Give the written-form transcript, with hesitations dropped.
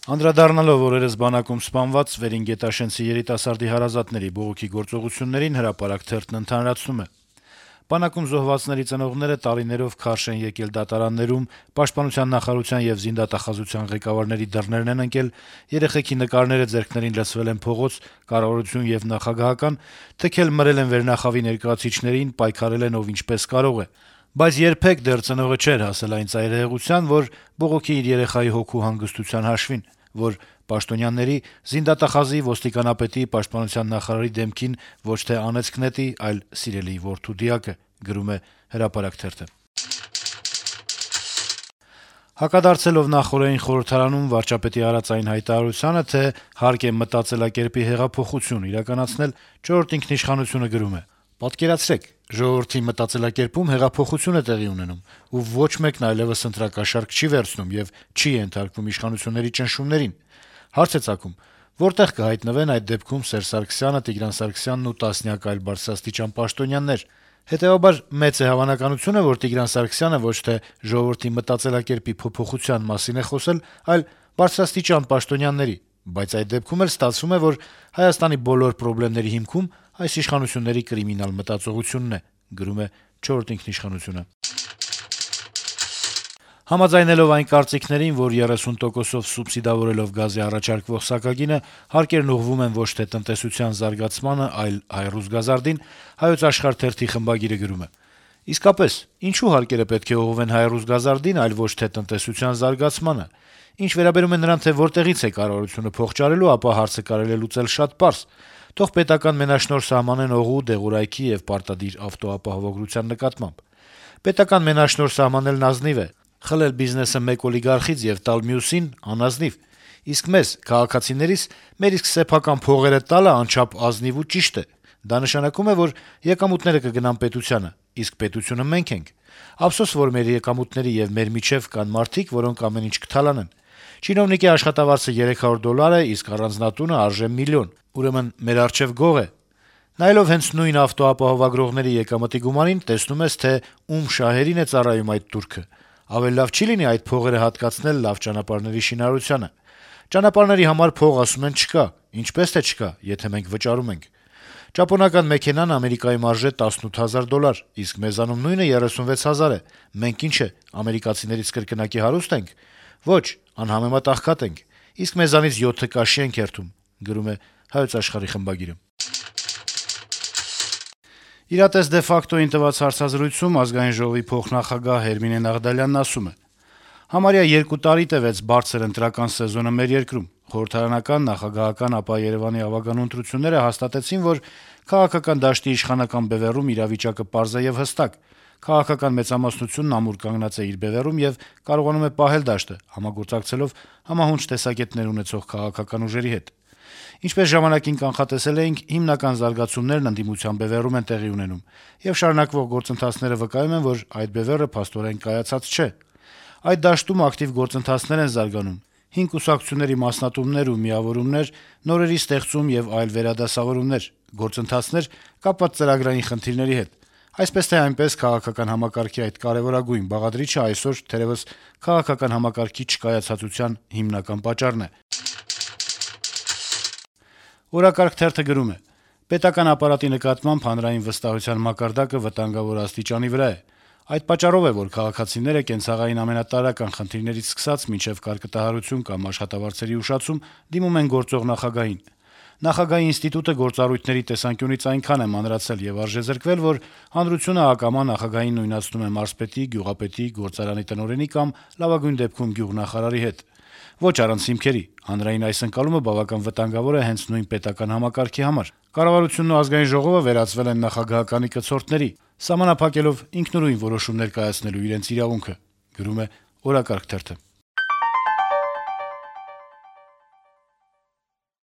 Անդրադառնալով օրերս բանակում սպանված Վերինգետաշենցի երիտասարդի հարազատների բողոքի գործողություններին «Հրապարակ» թերթն ընդհանրացնում է. - «Բանակում զոհվածների ծնողները տարիներով քարշ են եկել դատարաններում, Պաշտպանության նախարարության եւ զինդատախազության ղեկավարների դռներն են ընկել, երեխեքի նկարները ձեռքներին լցվել են փողոց, կառավարություն եւ նախագահական, թքել մրել են վերնախավի ներկայացուցիչներին, պայքարել են ով ինչպես կարող է: Բայց երբեք դեռ ծնողը չէր հասել այն ծայրահեղության, որ բողոքի իր երեխայի հոգու հանգստության հաշվին, որ պաշտոնյաների, զինդատախազի, ոստիկանապետի, պաշտպանության նախարարի դեմքին ոչ թե անեծք նետի, այլ սիրելի որդու դիակը»: Հակադարձելով նախօրեին խորհրդարանում վարչապետի արած այն հայտարարությանը, թե հարկ է մտածելակերպի հեղափոխություն իրականացնել, «Չորրորդ ինքնիշխանություն»-ը գրում է. - «Պատկերացրեք, ժողովրդի մտածելակերպում հեղափոխություն է տեղի ունենում, ու ոչ մեկն այլեւս ընտրակաշառք չի վերցնում եւ չի ենթարկվում իշխանությունների ճնշումներին: Հարց է ծագում՝ որտե՞ղ կհայտնվեն այդ դեպքում Սերժ Սարգսյանը, Տիգրան Սարգսյանն ու տասնյակ այլ բարձրաստիճան պաշտոնյաներ: Հետեւաբար մեծ է հավանականությունը, որ Տիգրան Սարգսյանը ոչ թե ժողովրդի մտածելակերպի փոփոխության մասին է խոսել, այլ բարձրաստիճան պաշտոնյաների: Բայց այդ դեպքում էլ ստացվում է, որ Հայաստանի բոլոր պրոբլեմների հիմքում այս իշխանությունների կրիմինալ մտածողությունն է»: Համաձայնելով այն կարծիքներին, որ 30%-ով սուբսիդավորելով գազի առաջարկվող սակագինը հարկերն ուղղվում են ոչ թե տնտեսության զարգացմանը, այլ «Հայռուսգազարդին», «Հայոց Աշխարհ» թերթի խմբագիրը գրում է. - «Իսկապես, ինչու հարկերը պետք է ուղղվեն «Հայռուսգազարդին», այլ ոչ թե տնտեսության զարգացմանը: Ինչ վերաբերում է նրան, թե որտեղից է կառավարությունը փող ճարելու, ապա հարցը կարելի է լուծել շատ պարզ. թող պետական մենաշնորհ սահմանեն օղու, դեղորայքի եւ պարտադիր ավտոապահովագրության նկատմամբ: Պետական մենաշնորհ սահմանելն ազնիվ է, խլել բիզնեսը մեկ օլիգարխից եւ տալ մյուսին՝ անազնիվ: Իսկ մեզ՝ քաղաքացիներիս, մեր իսկ սեփական փողերը տալը անչափ ազնիվ ու ճիշտ է: Դա նշանակում է, որ եկամուտները կգնան պետությանը, իսկ պետությունը մենք ենք: Ափսոս, որ մեր եկամուտների եւ մեր միջեւ կան մարդիկ, որոնք ամեն ինչ կթալանեն: Չինովնիկի աշխատավարձը $300 է, իսկ առանձնատունը արժե միլիոն: Ուրեմն մեր առջեւ գող է: Նայելով հենց նույն ավտոապահովագրողների եկամտի գումարին, տեսնում ես, թե ում շահերին է ծառայում այդ տուրքը: Ավելի լավ չի՞ լինի այդ փողերը հատկացնել լավ ճանապարհների շինարարությանը: Ճանապարհների համար փող, ասում են, չկա: Ինչպե՞ս թե չկա, եթե մենք վճարում ենք: Ճապոնական մեքենան Ամերիկայում արժե $18,000, իսկ մեզանում նույնը 36,000 է: Մենք ի՞նչ է, ամերիկացիներից կրկնակի հարուստ ենք: Ոչ, անհամեմատ աղքատ ենք: Իսկ մեզանից 7 կաշի են քերթում»: «Իրատես de facto»-ին տված հարցազրույցում Ազգային ժողովի փոխնախագահ Հերմինե Նաղդալյանն ասում է. - «Համարյա 2 տարի տեւեց բարձր ընտրական սեզոնը մեր երկրում: Խորհրդարանական, նախագահական, ապա Երեւանի ավագանու ընտրությունները հաստատեցին, որ քաղաքական դաշտի իշխանական բեւեռում իրավիճակը պարզ է եւ հստակ: Քաղաքական մեծամասնությունն ամուր կանգնած է իր բեւեռում եւ կարողանում է պահել դաշտը՝ համագործակցելով համահունչ տեսակետներ ունեցող քաղաքական ուժերի հետ: Ինչպես ժամանակին կանխատեսել էինք, հիմնական զարգացումներն ընդդիմության բեւեռում են տեղի ունենում, եւ շարունակվող գործընթացները վկայում են, որ այդ բեւեռը փաստորեն կայացած չէ: Այդ դաշտում ակտիվ գործընթացներ են զարգանում՝ հին կուսակցությունների մասնատումներ ու միավորումներ, նորերի ստեղծում եւ այլ վերադասավորումներ, գործընթացներ՝ կապված ծրագրային խնդիրների հետ: Այսպես թե այնպես, քաղաքական համակարգի այդ կարեւորագույն բաղադրիչը այսօր թերեւս քաղաքական համակարգի չկայացածության հիմնական պատճառն է»: «Օրակարգ» թերթը գրում է. - «Պետական ապարատի նկատմամբ հանրային վստահության մակարդակը վտանգավոր աստիճանի վրա է: Այդ պատճառով է, որ քաղաքացիները կենցաղային ամենատարրական խնդիրներից սկսած մինչեւ կարկտահարություն կամ աշխատավարձերի ուշացում դիմում են գործող նախագահին: Նախագահի ինստիտուտը գործառույթների տեսանկյունից այնքան է մանրացել եւ արժեզրկվել, որ հանրությունը ակամա նախագահին նույնացնում է մարզպետի, գյուղապետի, գործարանի տնօրենի կամ լավագույն դեպքում գյուղնախարարի հետ: Ոչ առանց հիմքերի: Հանրային այս ընկալումը բավական վտանգավոր է հենց նույն պետական համակարգի համար: Կառավարությունն ու Ազգային ժողովը վերածվել են նախագահականի կցորդների, սահմանափակելով ինքնուրույն որոշումներ կայացնելու իրենց իրավունքը»: